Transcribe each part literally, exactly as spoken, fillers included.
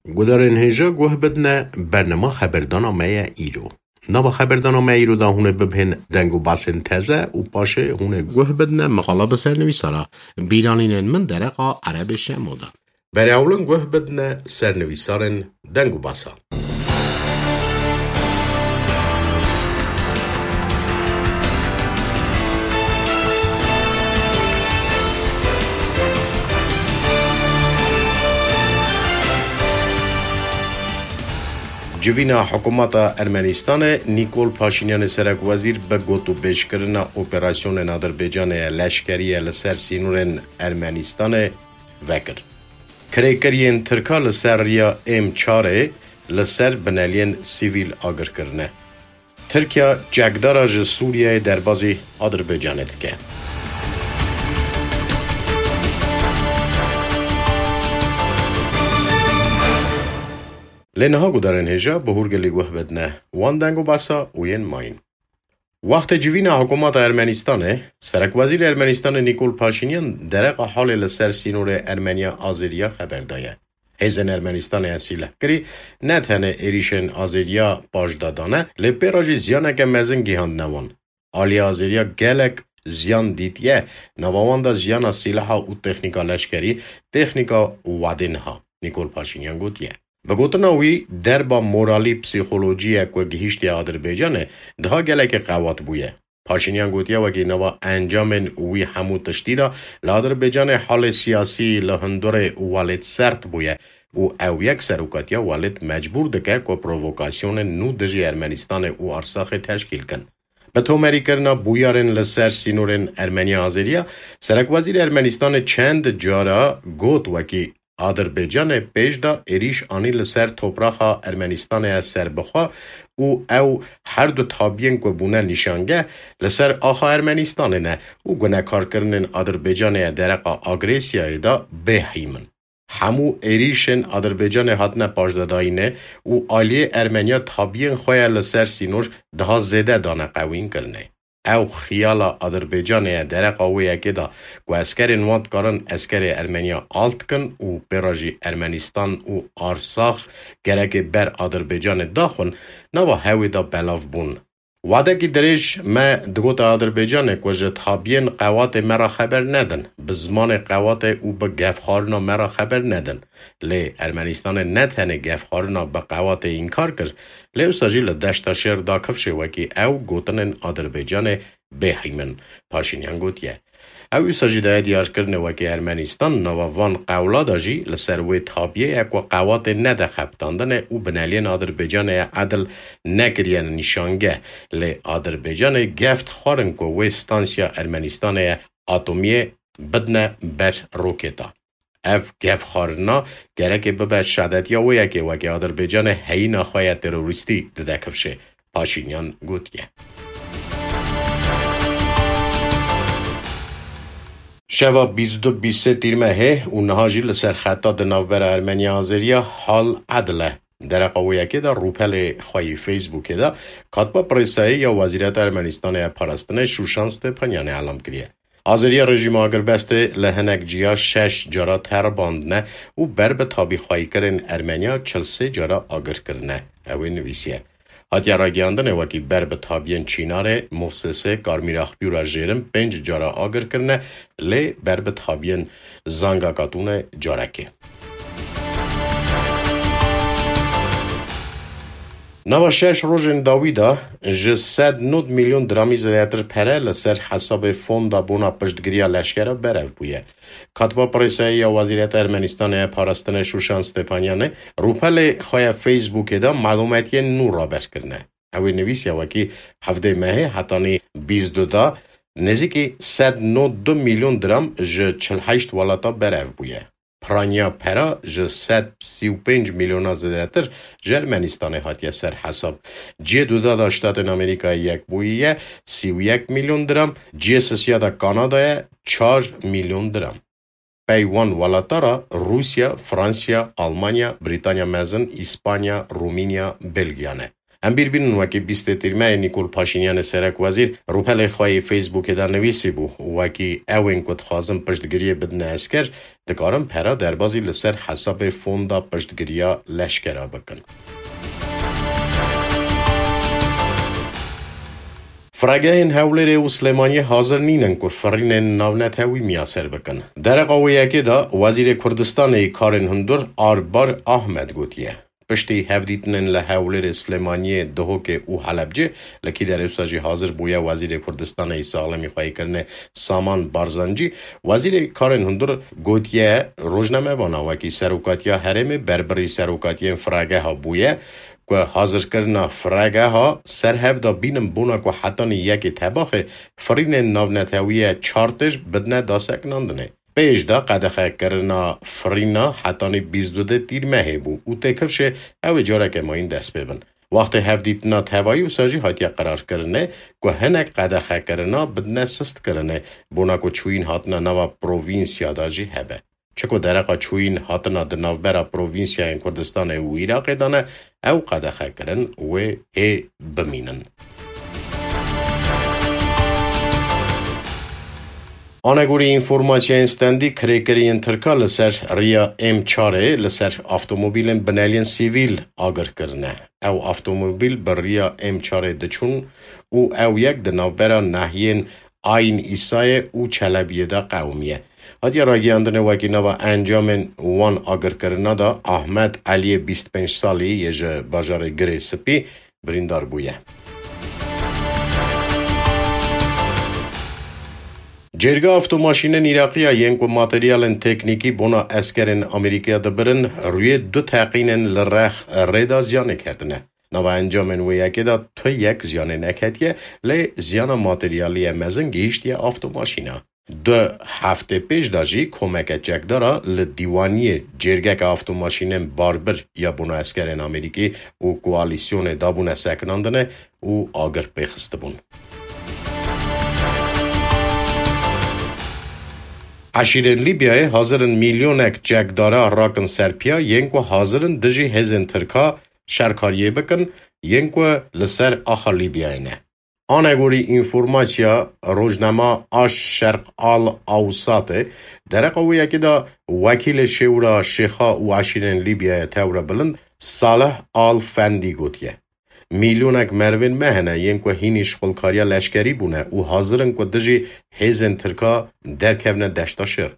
Gudarên hêja guh bidine bernama xeberdana me ye îro. Nava xeberdana me îro de hûn ê bibihên deng û basên teze û paşê hûn ê guh bidine mexala bi sernivîsara bîranînên min dereqa Erebê Şemo de. Berê ewlin guh bidine sernivîsarên deng û basa. Civîna hikûmeta Ermenistanê Nîkol Paşînyanê serekwezîr bi gotûbêjkirina operasyonên Adirbaycanê ya leşkerî ye li ser sînorên Ermenistanê vekir. Kirêkiriyên Tirka li ser riya M çarê li ser bineliyên sivîl agir kirine. Tirkiye çekdara ji Sûriyeyê derbazî Adirbaycanê dike. Lê niha gudarên hêja bi hûrgilî guh bidine wan deng û basa û yên mayîn. Wextê civîna hikûmeta Ermenistanê, serekwezîrê Ermenistanê Nîkol Paşînyan dereqa halê li ser sînorê Ermeniya Azeriya xeber daye. Hêzên Ermenistanê ya sîlehkirî ne tenê êrîşên Azeriya paşda dane, lê pê re jî ziyaneke mezin gihandine wan. Aliyê Azeriya gelek ziyan dîtiye, nava wan de ziyana sîleha û texnîka leşkerî, texnîka wadê niha, Nîkol Paşînyan gotiye. Bi gotina wî, derba moralî psîkolojî ye ku gihîştiye Adirbaycanê, diha gelekê qewat bûye. Paşînyan gotiye, wekî nava encamên wî hemû tiştî de li Adirbaycanê halê siyasî li hundirê welêt sert bûye û ew yek serokatiya welêt mecbûr dike ku provokasyonên nû dijî Ermenistanê û Arsaxê teşkîl kin. Bi tomerîkirina bûyerên li ser sînorên Ermeniya Azeriya, serekwezîrê Ermenistanê çend cara got, wekî Adirbaycanê pêş de êrîş anî li ser topraxa Ermenistanê ya serbixwe û ew her du tabiyên ku bûne nîşangeh li ser axa Ermenistanê ne û gunekarkirinên Adirbaycanê ya dereqa agresiyayê de bêhîm in. Hemû êrîşên Adirbaycanê hatine paşdedayînê û aliyê Ermeniya tabiyên xwe ya li ser sînor daha zêde dane qewînkirinê. Ew xiyala Adirbaycanê ye dereqa wê yekê de ku eskerên wan dikarin eskerê Ermeniya alt kin û pê re jî Ermenistan û Arsax gerekê ber Adirbaycanê daxwin, nava hewê de belav bûn. Wadekî dirêj me digote Adirbaycanê ku ji tabiyên qewatê me re xeber nedin, bi zimanê qewatê û bi gefxwarina me re xeber nedin. Lê Ermenistanê ne tenê gefxwarina bi qewatê înkar kir, lê wisa jî li Deşta Şêr da kifşê wekî ew gotinên Adirbaycanê bêhîm in, Paşînyan gotiye. Ew wisa jî daye diyarkirinê wekî Ermenistan nava van qewla de jî li ser wê tabiyê ye ku qewatê nede xebitandinê û bineliyên Adirbaycanê ye edil nekiriyene nîşangeh, lê Adirbaycanê gef dixwarin ku wê stansiya Ermenistanê ye atomiyê bidine ber roketa. Ev gefxwarina gerekê bibe şadetiya wê yekê wekî Adirbaycanê heyîna xwe ya terorîstî dide kifşê, Paşînyan gotiye. Şeva bîst û du bîst sê Tîrmehê û niha jî li ser xeta di navbera Ermeniya Azeriya hal edil e. Dereqa wê yekê de rûpelê xwe yî Facebookê de katba presayê ya Wezîreta Ermenistanê ya Parastinê Şûşan Stepanyanê elam kiriye. Azeriya rejîma agirbestê li hinek ciya şeş cara teribandine û ber bi tabîxweyîkirin Ermeniya çil sê cara agir kirine. Ew ê nivîsiye. Hatiye ragihandinê wekî ber bi tabiyên Çînarê, Movsesê, Karmîraxpî û re jêrin pênc cara agir kirine, lê ber bi tabiyên Zanga Katûnê carekê. Nava şeş rojên dawî de ji sed nod milyon diramî zêdetir pere li ser hesabê Fonda Bona Piştgiriya Leşkera berev bûye. Katiba Presayê ya Wezîreta Ermenistanê ya Parastinê Şûşan Stepanyanê rûpelê xwe ya Facebookê de malûmetiyên nû raber kirine. Ew ê nivîsiya wekî hevdê mehê hetanî bîst du da nêzîkî sed nod du milyon diram ji çil heşt welata berev bûye. Piraniya pera ji sed sî û pênc milyona zêdetir ji Ermenistanê hatiye ser hesab. Cihê duda da Ştatên Amerîkayê Yekbûyî ye, sî û yek milyon diram, cihê sisiya da Kanada ye, çar milyon diram. Pey wan welata ra Rûsya, Fransiya, Almanya, Brîtanya Mezin, Îspanya, Rumînya, Belgiya ne. Em bîr bînin wekî bîstê tîrmehê Nîkol Paşînyanê serek wezîr rûpelê xwe yê Facebookê de nivîsîbû, wekî ew ên ku dixwazin piştgiriyê bidine esker, dikarin pera derbazî li ser hesabê fonda piştgiriya leşkera bikin. Firegehên Hewlêrê û Silêmaniyê hazir nînin ku firînên navnetewî miyaser bikin. Dereqa wê yekê de Wezîrê Kurdistanê yê Karên Hundir Arbar Ahmed gotiye, piştî hevdîtinên li Hewlêrê, Silêmaniyê, Duhokê û Helebcê, li kî derê wisa jî hazir bûye Wezîrê Kurdistanê yê Saxlemî Xweyîkirinê Saman Barzanci, Wezîrê Karên Hundir gotiye rojnamevana wekî serokatiya herêmê berbirî serokatiyên firegeha bûye, ku hazirkirina firegeha ser hev de bînin bona ku hetanî yekê Tebaxê firînên navnetewî ye çar têj bidine dasekinandinê. Pêş de qedexekirina firîna hetanî bîst û du tîrmehê bû û têkifşê ew ê careke mayîn dest pê bin. Wextê hevdîtina tevayî wisa jî hatiye qerarkirinê ku hinek qedexekirina bidine sistkirinê, bona ku çûyîn hatina nava provînsya de jî hebe. Çi ku dereqa çûyîn hatina di navbera provînsiyayên Kurdistanê û Iraqê de ne, ew qedexekirin wê hê bimînin. Anegorî înformasyayên stendî, kirêkiriyên Tirka li ser riya M çarê li ser avtomobîlên bineliyên sivîl agir kirine. Ew avtomobîl bi riya M çarê diçûn û ew yek di navbera nehiyên Ayn Îsayê û Çelebiyê de qewimiye. Hatiye ragihandinê wekî nava encamên wan agirkirina de Ahmet Eliyê bîst pênc salî yê ji bajarê Girê Spî birîndar bûye. Cêrga avtomaşînên Îraqiya yên ku materyalên teknîkî bona eskerên Amerîkaya dibirin, rûyê du teqînên li rex rê de ziyanê ketine. Nava encamên wê yekê de tu yek ziyanê neketiye, lê ziyana materyalî ye mezin gihîştiye avtomaşîna. Du heftê pêş de jî komeke çekdara li dîwaniyê cêrgeke avtomaşînên barbir ya bona eskerên Amerîkî û koalîsyonê dabûne sekinandine û agir pê xistibûn. Eşîrên Lîbyayê hazir in milyonek çekdara rakin ser piya yên ku hazir in dijî hêzên Tirka şerkariyê bikin, yên ku li ser axa Lîbyayê ne. Anegorî înformasiya rojnama Aş Şerq Al Awsatê, dereqa wê yekê de wekîlê Şêwra Şêxa û eşîrên Lîbyayê Tewre Bilind Salih Al Fendî gotiye, milyonek merivên me hene yên ku hînî şixulkariya leşkerî bûne û hazir in ku dijî hêzên Tirka derkevine deşta şer.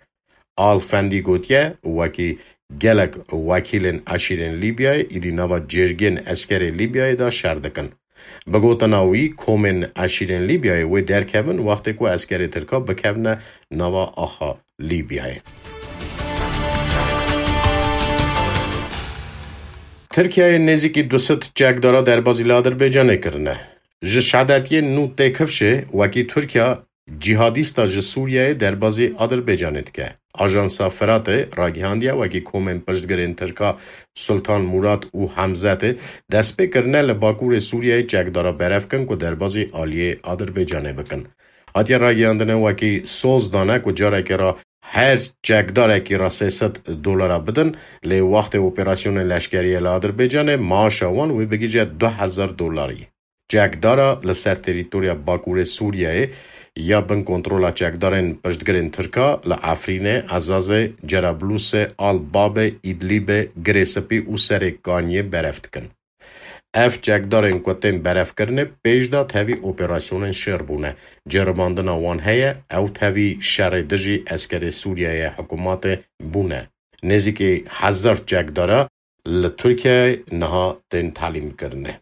Al Fendî gotiye, wekî gelek wekîlên eşîrên Lîbyayê êdî nava cêrgên eskerê Lîbyayê de şer dikin. Bi gotina wî, komên eşîrên Lîbyayê wê derkevin wextê ku eskerê Tirka bikevine nava axa Lîbyayê. Tirkiyeyê nêzîkî du sed çekdara derbazî li Adirbaycanê kirine. Ji şedetiyên nû têkifşê wekî Tirkiya cîhadîsta ji Sûriyeyê derbazî Adirbaycanê dike. Ajansa Firatê ragihandiye, wekî komên piştgirên Tirka Sultan Murat û Hemzetê destpê kirine li Bakurê Sûriyeyê çekdara berev kin ku derbazî aliyê Adirbaycanê bikin. Hatiye ragihandine, wekî soz dane ku carekê re her çekdarekî re sê sed dolara bidin, lê wextê operasyonên leşkeriyê li Adirbaycanê maaşa wan wê bigihîje du hezar dolarî. Çekdara li ser terîtoriya Bakurê Sûriyeyê ya bin kontrola çekdarên piştgirên Tirka li Efrînê, Ezazê, Cerablusê, Al Babê, Îdlîbê, Girê Spî û Serê Kaniyê berev dikin. Ev çekdarên ku tên berevkirinê pêş de tevî operasyonên şer bûne. Ceribandina wan heye, ew tevî şerê dijî eskerê Sûriyeyê hikûmatê bûne. Nêzîkî hezar çekdara li Tirkiyeyê niha tên telîmkirine.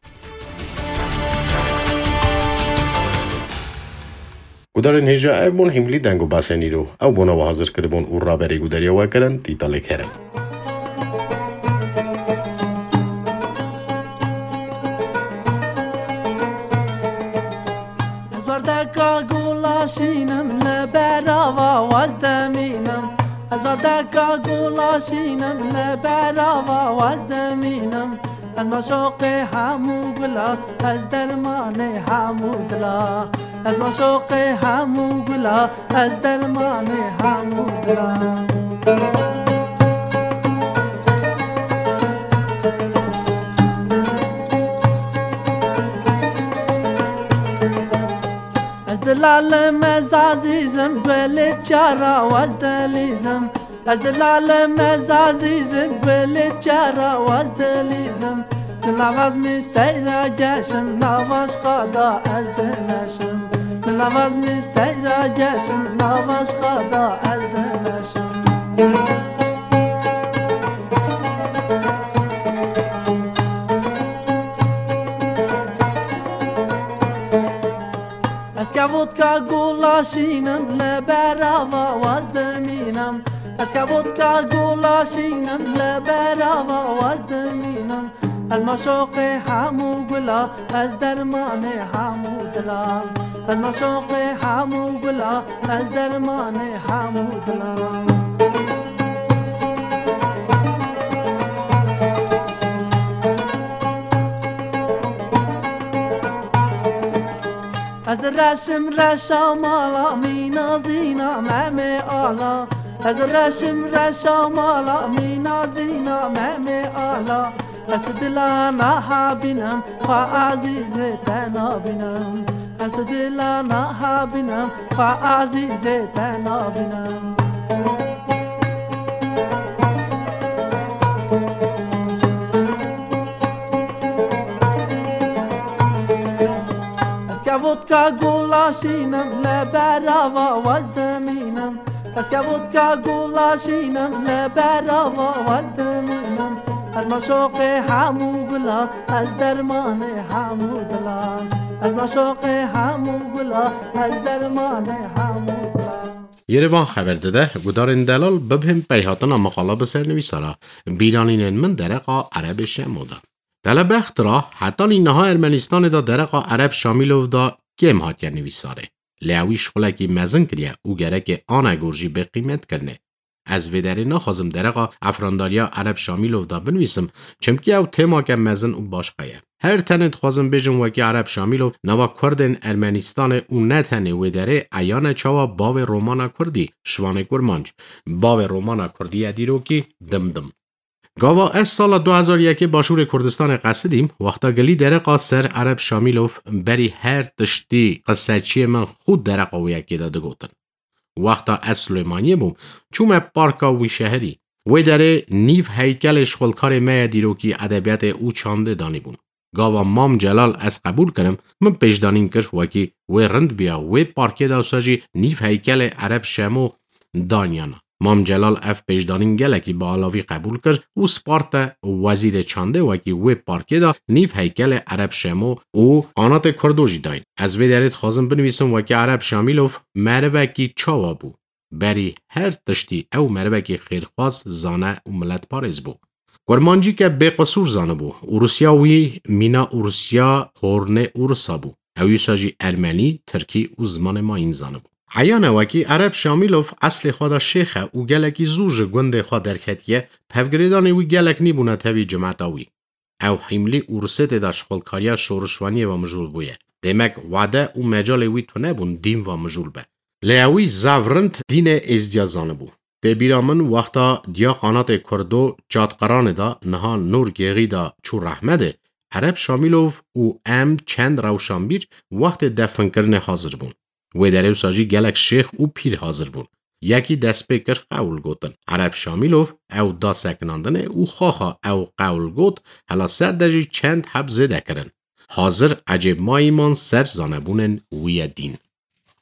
Gudarên hêja, ev bûn hîmlî deng û basên îro. Ew bona we hazir kiribûn û raberî gudariya we kirin, Tîtalê Kerem. Ez werdeka gulaşînim li berava wez demînim. Ez werdeka gulaşînim li berava wez demînim. Ez maşoqê hemû gula, ez dermanê hemû dila. Ez maşoqê hemû gula, ez dermanê hemû dila. Lalim ez azîzim, gulê çara waz dilîzim. Ez di lalim ez azîzim, gulê çara waz dilîzim. Di navaz misteyra geşim, navaş qada ez dimeşim. Di navaz misteyra geşim, navaş qada ez dimeşim. Ez ke vodka gola şînim, li berava waz dimînim. Ez ke vodka gola şînim, li berava waz dimînim. Ez maşoqê hemû gula, ez dermanê hemû dilan. Ez maşoqê hemû gula, ez dermanê hemû dilan. Ez reşim reşa mala, mîna zîna memê ala. Ez reşim reşa mala, mîna zîna memê ala. Ez tu dila naha bînim, xwe azîzê te nabînim. Ez tu dila naha bînim, xwe azîzê te nabînim. Ez ke vodka gola şînim, li berava waz dimînim. Ez ke vodka gola şînim, li berava waz dimînim. Ez maşoqê hemû gula, ez dermanê hemû dilan. Ez maşoqê hemû gula, ez dermanê hemû dilan. Yerevan xeber dide, gudarên delal bibhên peyhatina maqala bi ser nivîsara bîranînên min dereqa Erebê Şemo de. Telebextra, hetanî niha Ermenistanê de dereqa Ereb Şamîlov de kêm hatiye nivîsarê. Lê ewî şixulekî mezin kiriye û gereke anegor jî bê qîmetkirinê. Ez vê derê naxwazim dereqa efrandariya Ereb Şamîlov de binivîsim, çimkî ew têmake mezin û başqa ye. Her tenê dixwazim bêjim wekî Ereb Şamîlov nava Kurdên Ermenistanê û ne tenê wê derê eyan e çawa bavê romana Kurdî, Şivanê Kurmanc, bavê romana Kurdî ye dîrokî Dimdim. Gava ez sala du hezar yekê Başûrê Kurdistanê qesidîm, wexta gilî dereqa ser Ereb Şamîlov berî her tiştî qiseçiyê min xwe dereqa wê yekê de digotin. Wexta ez Silêmaniyê bûm, çûme parka wî şeherî. Wê derê nîv heykelê şixulkarê me ye dîrokî edebiyatê û çandê danîbûn. Gava Mam Celal ez qebûl kirim, min pêşdanîn kir wekî wê rind biya, wê parkê de wisa jî nîv heykelê Ereb Şemo daniyana. Mam Celal ev pêşdanîn gelekî bi alavî qebûl kir û sparte wezîrê çandê wekî wê parkê de nîv heykelê Ereb Şemo û Qanatê Kurdo jî dayîn. Ez vê derê dixwazim binivîsim wekî Ereb Şamîlov merivekî çawa bû. Berî her tiştî ew merivekî xêrxwaz, zane û miletparêz bû. Kurmancîke bêqisûr zanibû. Ûrisiya wî mîna Ûrisiya hornê Ûrisa bû. Ew wisa jî ermenî, tirkî û zimanê mayîn zanibû. Eyan e wekî Ereb Şamîlov eslê xwe de şêx e û gelekî zû ji gundê xwe derketiye, pevgirêdanê wî gelek nîbûne tevî cimeta wî. Ew hîmlî Ûrûsetê de şixulkariya şorişvaniyê ve mijûl bûye. Demek wade û mecalê wî tune bûn dîn ve mijûl be. Lê ewî zaf rind dînê êzdiya zanibû. Tê bîra min wexta diya qanatê Kurdo Çatqiranê de niha Nûr Gêxî de çû rehmedê, Ereb Şamîlov û em çend rewşanbîr wextê definkirinê hazir bûn. Wê derê wisa jî gelek şêx û pîr hazir bûn. Yekî dest pê kir qewl gotin. Ereb Şamîlov ew da sekinandinê û xaxa ew qewl got, hela ser de jî çend heb zêde kirin. Hazir ecêbmayî man ser zanebûnên wî ye dîn.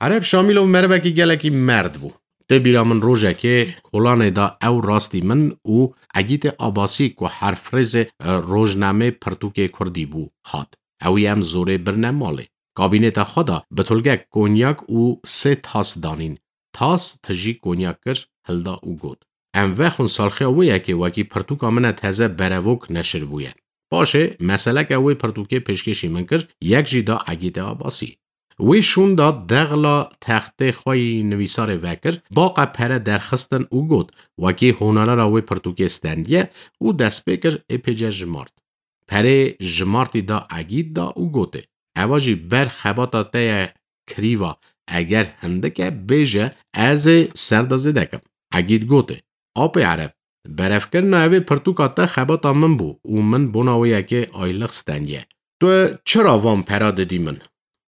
Ereb Şamîlov merivekî gelekî merd bû. Tê bîra min rojekê kolanê da ew rastî min û Egîtê Abasî ku herfrêzê, e, rojnamê pirtûkê kurdî bû, hat. Ewî em zorê birine malê. Kabîneta xwe da bitulgek konyak û sê tas danîn. Tas tijî konyak kir, hilda û got, em vexwin salxiya wê yekê wekî pirtûka min e teze Berevok neşir bûye. Paşê meseleke wê pirtûkê pêşkêşî min kir, yek jî da Egîtê Abasî. Wê şûn da dexla textê xwe yî nivîsarê vekir, baqe pere derxistin û got, wekî honarera wê pirtûkê stendiye û dest pê kir ê pêce jimart. Perê jimartî da Egîd da û gotê, eva jî ber xebata te ye kirîva, eger hindik e bêje, ez ê ser de zêde kim. Egîd gotê, Apê Ereb, berevkirina evê pirtûka te xebata min bû û min bona wê yekê aylix stendiye. Tu çira van pera didî min?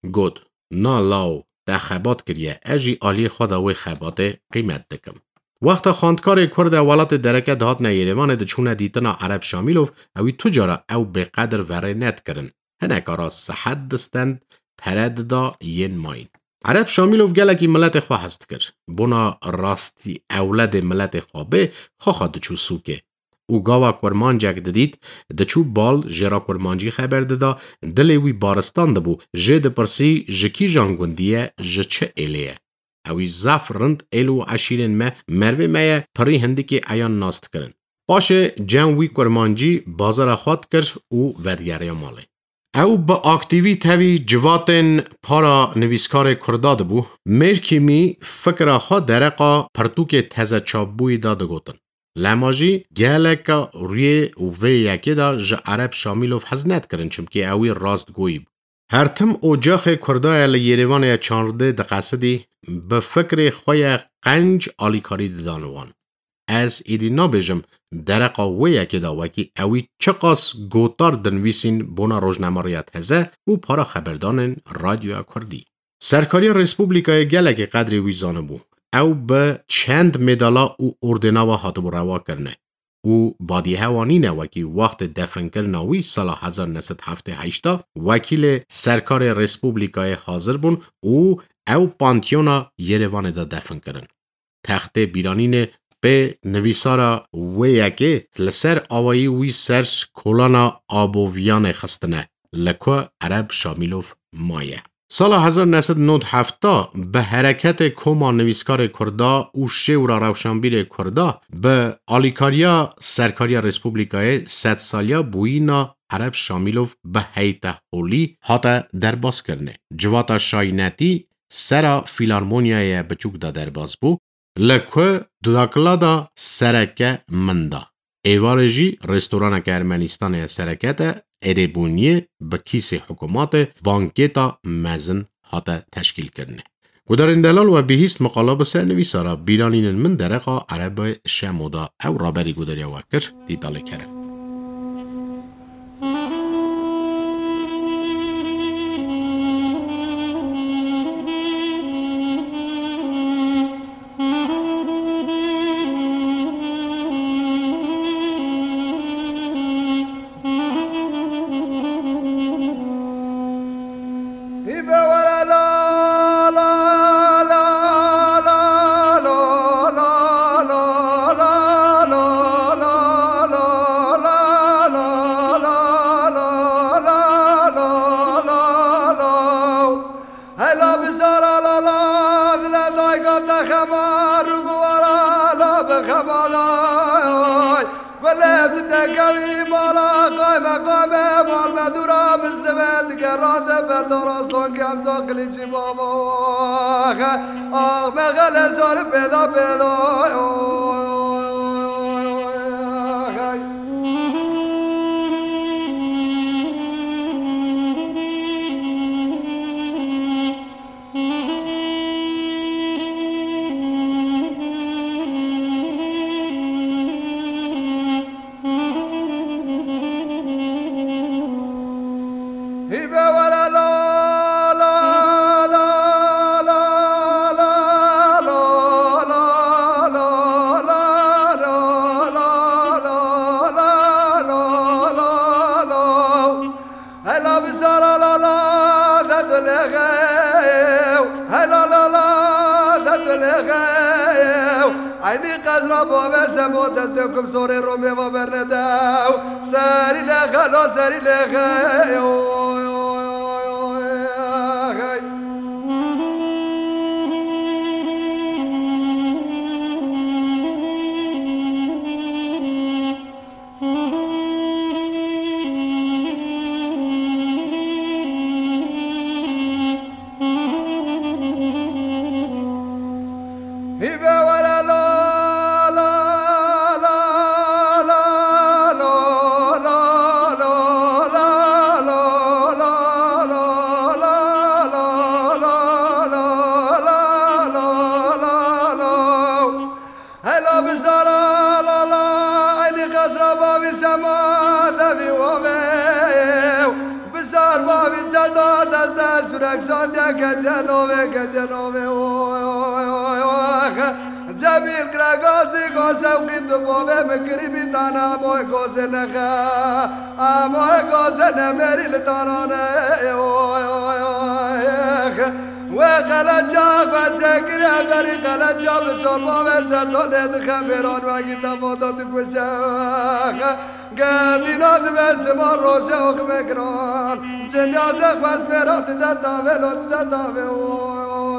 Got, na law, te xebat kiriye. Ez jî aliyê xwe de wê xebatê qîmet dikim. Wexta xwendkarê Kurd e welatê dereke dihatine Yêrêvanê diçûne dîtina Ereb Şamîlov, ewî tu cara ew bêqedir verê nedikirin. Hineka ra sihet distend, pere dida yên mayîn. Ereb Şamîlov gelekî miletê xwe hez dikir. Bona rastî ewledê miletê xwe bê, xwexa diçû sûkê. Û gava kurmancek didît, diçû bal jê re kurmancî xeber dida, dilê wî baristan dibû, jê dipirsî ji kîjan gundî ye, ji çi êlê ye. Ewî zaf rind êl û eşîrên me, mervê me ye, pirî hindikê eyan nas dikirin. Paşê cem wî kurmancî bazara xwe dikir û vedigeriya malê. Ew bi aktîvî tevî civatên para nivîskarê Kurda dibû. Mêrkîmî fikra xwe dereqa pirtûkê teze çapbûyî de digotin. Lema jî geleka rûyê û vê yekê de ji Ereb Şamîlov hez nedikirin, çimkî ewî rastgoyî bû. Her tim ocaxê Kurda ye li Yêrêvanê ye çandê diqesidî, bi fikrê xwe ye qenc alîkarî didan wan. Ez êdî nabêjim dereqa wê yekê de wekî ewî çiqas gotar dinivîsîn bona rojnameriya teze û para xeberdanên Radyoya Kurdî. Serkariya Respublikayê gelekî qedrê wî zanibû. Ew bi çend medala û ordêna ve hatibû rewakirine û badîhewa nîne wekî wextê definkirina wî sala hezar neh sed heftê heşt de wekîlê serkarê Respublikayê hazir bûn û ew Panteona Yêrêvanê de defin kirin. Textê Bîranînê pê nivîsara wê yekê li ser awayî wî ser kolana Aboviyanê xistine, li ku Ereb Şamîlov maye. Sala hezar neh sed nod heft bi hereketê koma nivîskarê Kurda û şêwra rewşanbîrê Kurda bi alîkariya Serkariya Respublikayê sedsaliya bûyîna Ereb Şamîlov bi heyteholî hate derbazkirinê. Civata şaynetî sera Fîlarmonyayê Biçûk de derbaz bû, li ku dudakila da sereke min da. Êvarê jî restoraneke Ermenistanê sereke de êrêbûniyê bi kîsê hikûmatê banketa mezin hate teşkîlkirinê. Gudarên delal we bihîst miqala bi sernivîsara Bîranînên min dereqa Erebe Şemo da. Ew raberî gudariya we kir, Dîtalê Kerem. Hela bi sara la la, dile dayka te xemar û bi wara la bi xemalay. Gulê tu te kevî mala qayme qayme, mal me dûra mislime digerande berdor aslan kem zaqilî çî baba. Ax me xele sar pêda pêda. Hela bi sara la la, de tu lê xew. Hela la la, de tu lê xew. Eynî qezra bavê semo destê kum sorê romê va bernede. Serî lê xelo, serî lê xew. Rexandiye ketiye navê, ketiye navê, oy, oy, oy, oy, oy. Cemîl Kiregazî go sewqî tu bavê min kirî bî tane moy gozê nexe. Emoy gozê nemêrî li tanane, oy, oy, oy. Wê qeleca xwe çêkiriye berî qeleca bi zorba ve çeto lê dixe mêran wekî te vada dikuje. Gedîna dibe çima roje oxime giran. Cindiyazê xwez mêran dide tavê lo dide tavê. Oy, oy,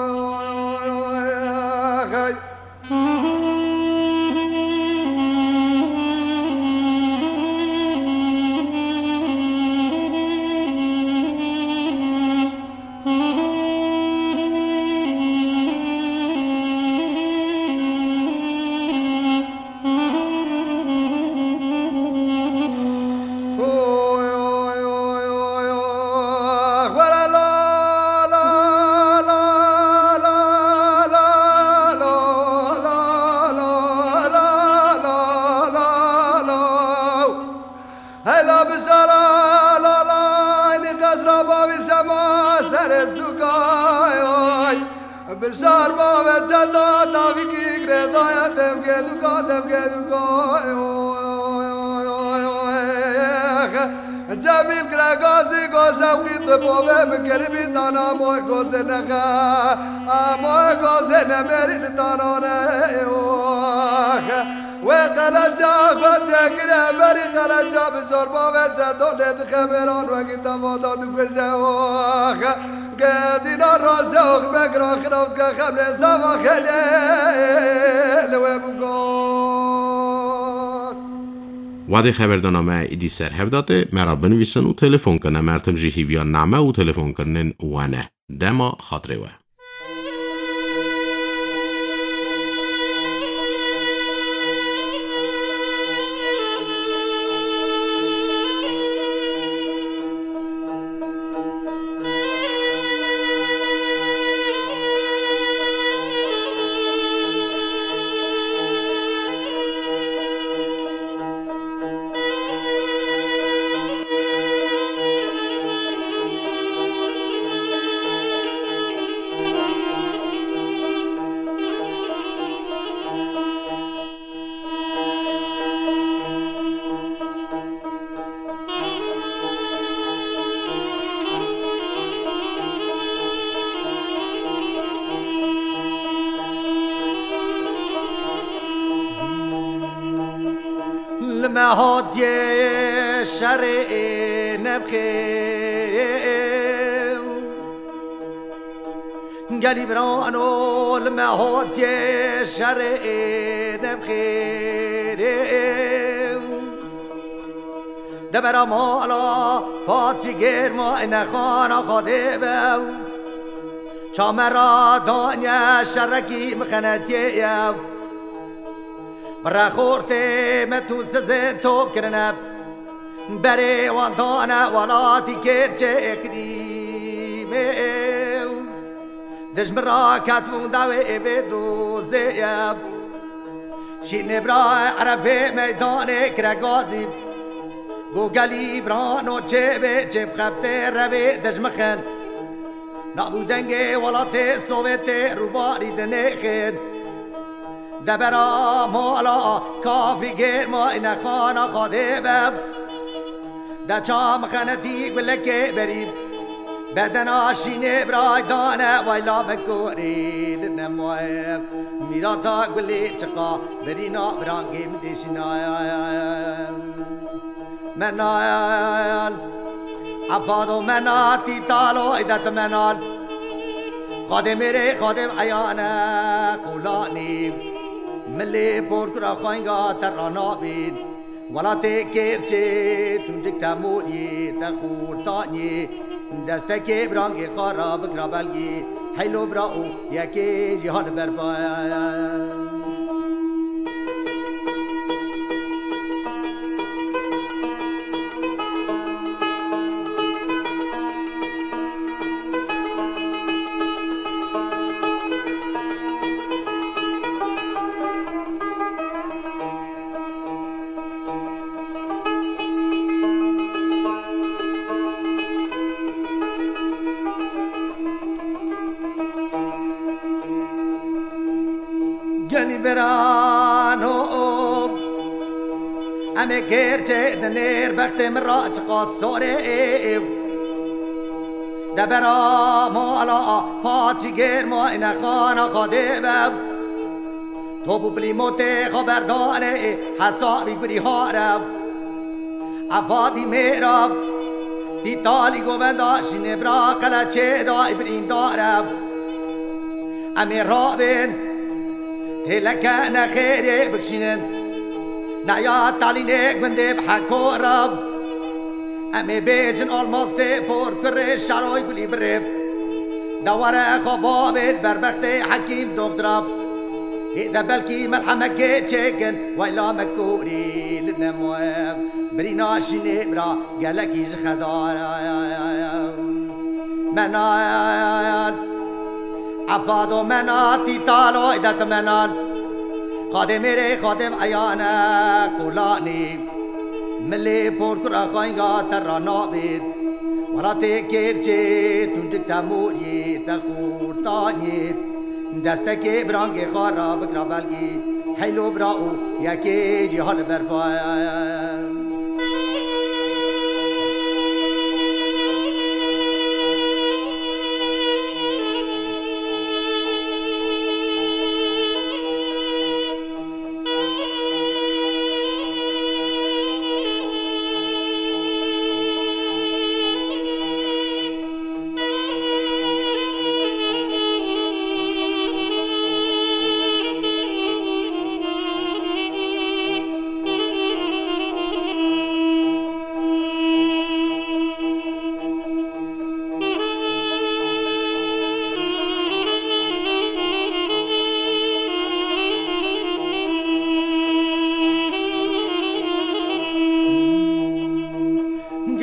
oy, oy, oy, oy. Hela bisara la la, ni qezra bavî sema serê zûkay oy. Bisar bave ceda tavîkî girêdaya devgê duka, devgê duka oy, oy, oy, oy, oy. Cemîl Kiregazî go sewqî tu bavê min kiribî tana moy gozê nexe. Amoy gozê nemêrî li tanane oy. Wê qeleca xwe çêkire berî qeleca bi zorba ve çeto lê dixe mêran wekî te vada dikuje ox. Gedîna raze ox me giran xiraw dike xem lê zava xelê li wê bû got. Wadê xeberdana me îdî ser hev date, me ra binivîsin û telefon kine. Mertim jî hîviya name û telefonkirinên we ne. Dema xatirê we. Li me hatiye şerê nevxê. Gelî birano li me hatiye şerê nevxê. Debera mala patî gêrma ine xana Xwedê be. Çamera danye şerekî mixenetiyê ye. Bi rexortê me tu sizin top kirine. Berê wan dane welatî kêrçê iqlîmê. Dijmin ra ketibûn dawê êvê dozê ye. Şînê bira erefê meydanê Kiregazî. Go gelî birano çê bê çê bixebitê revê dijmixin. Nav û dengê welatê Sovêtê rûbarî dinêxin. Debera mala kafrî gêrma ine xana Xwedê be. De çam xenetî gulekê berî. Bedena şînê biray dane wayla me korê li nemaye. Mîrata gulê çiqa berîna birangê min dêşînaye. Menal, efado menatî talo îdet menal. Xadê mêrê, xadê eyane qolanî. Milê porkura xwenga te ranabîn. Welatê kêrçê tuncik te morî, te xortanî. Destekê birangê xwe ra bikira belgî. Heylo bira û yekê jî ha li ber va. Birano, em ê kêrçê dinêr bextê min ra çiqas sorê ev. Debera mala paçî gêr ma ine xana Xwedê be. Top û plîmotê xwe berdanê hesabî gurî harev. Efadî mêra, tîtalî govenda şînê bira qeleçê da î birîndar e. Em ê rabên, têleke nexêrê bikişînin. Neya talînê gundê bi heko re. Em ê bêjin almastê por kurê şaroy gulî birê. Dewere xwe bavêt berbextê hekîm doktora. Hê de belkî merhemekê çêkin, wayla me korî li nemoye. Birîna şînê bira gelekî ji xedara. Menal, efado mena tîtalo îdet menal. Xadê mêrê xadê eyane qolanî. Milê porkura xaynga te ra nabêt. Welatê kêrçê tuncik te moriyê te xortaniyê. Destekê birangê xwe ra bikira belgî. Heylo bira û yekê cîha li ber paya.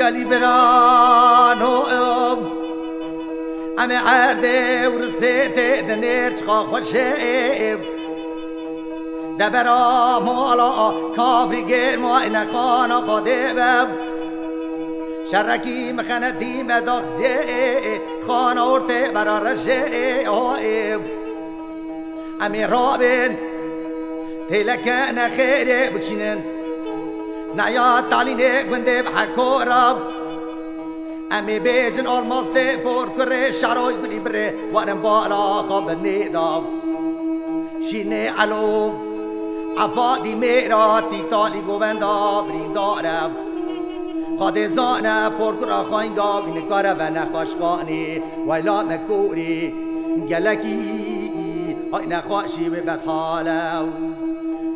Gelî birano, em ê erdê û risê tê dinêr çiqa xweşê. Debera mala kafrî gêr ma ine xana Xwedê be. Şerekî mixenetî me daxizê, xana ortê bera reşê, o ê. Em ê rabên, têleke nexêrê bikişînin. Neya talînê gundê bi heko re. Em ê bêjin almastê por kurê şaroy gulî birê, werin bala xwe binê da. Şînê elo, efadî mêra tîtalî govenda birîndar e. Xwedê zane porkura xaynga wî nikare ve nexweşxanê. Wayla me korî gelekî ay nexweşî wê bedhale.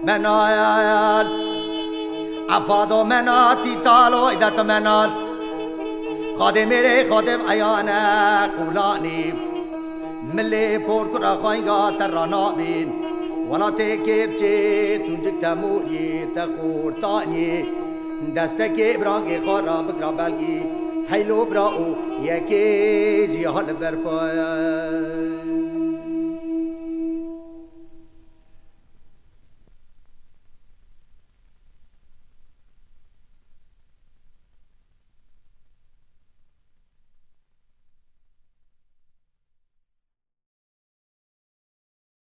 Menal, efado mena tîtalo îdet menal. Xadê mêrê xadê eyane qolanî. Milê porkura xaynga te ra nabîn. Welatê kêrçê tuncik te moriyê te xortaniyê. Destekê birangê xwe ra bikira belgî. Heylo bira û yekê jî ha li ber paya.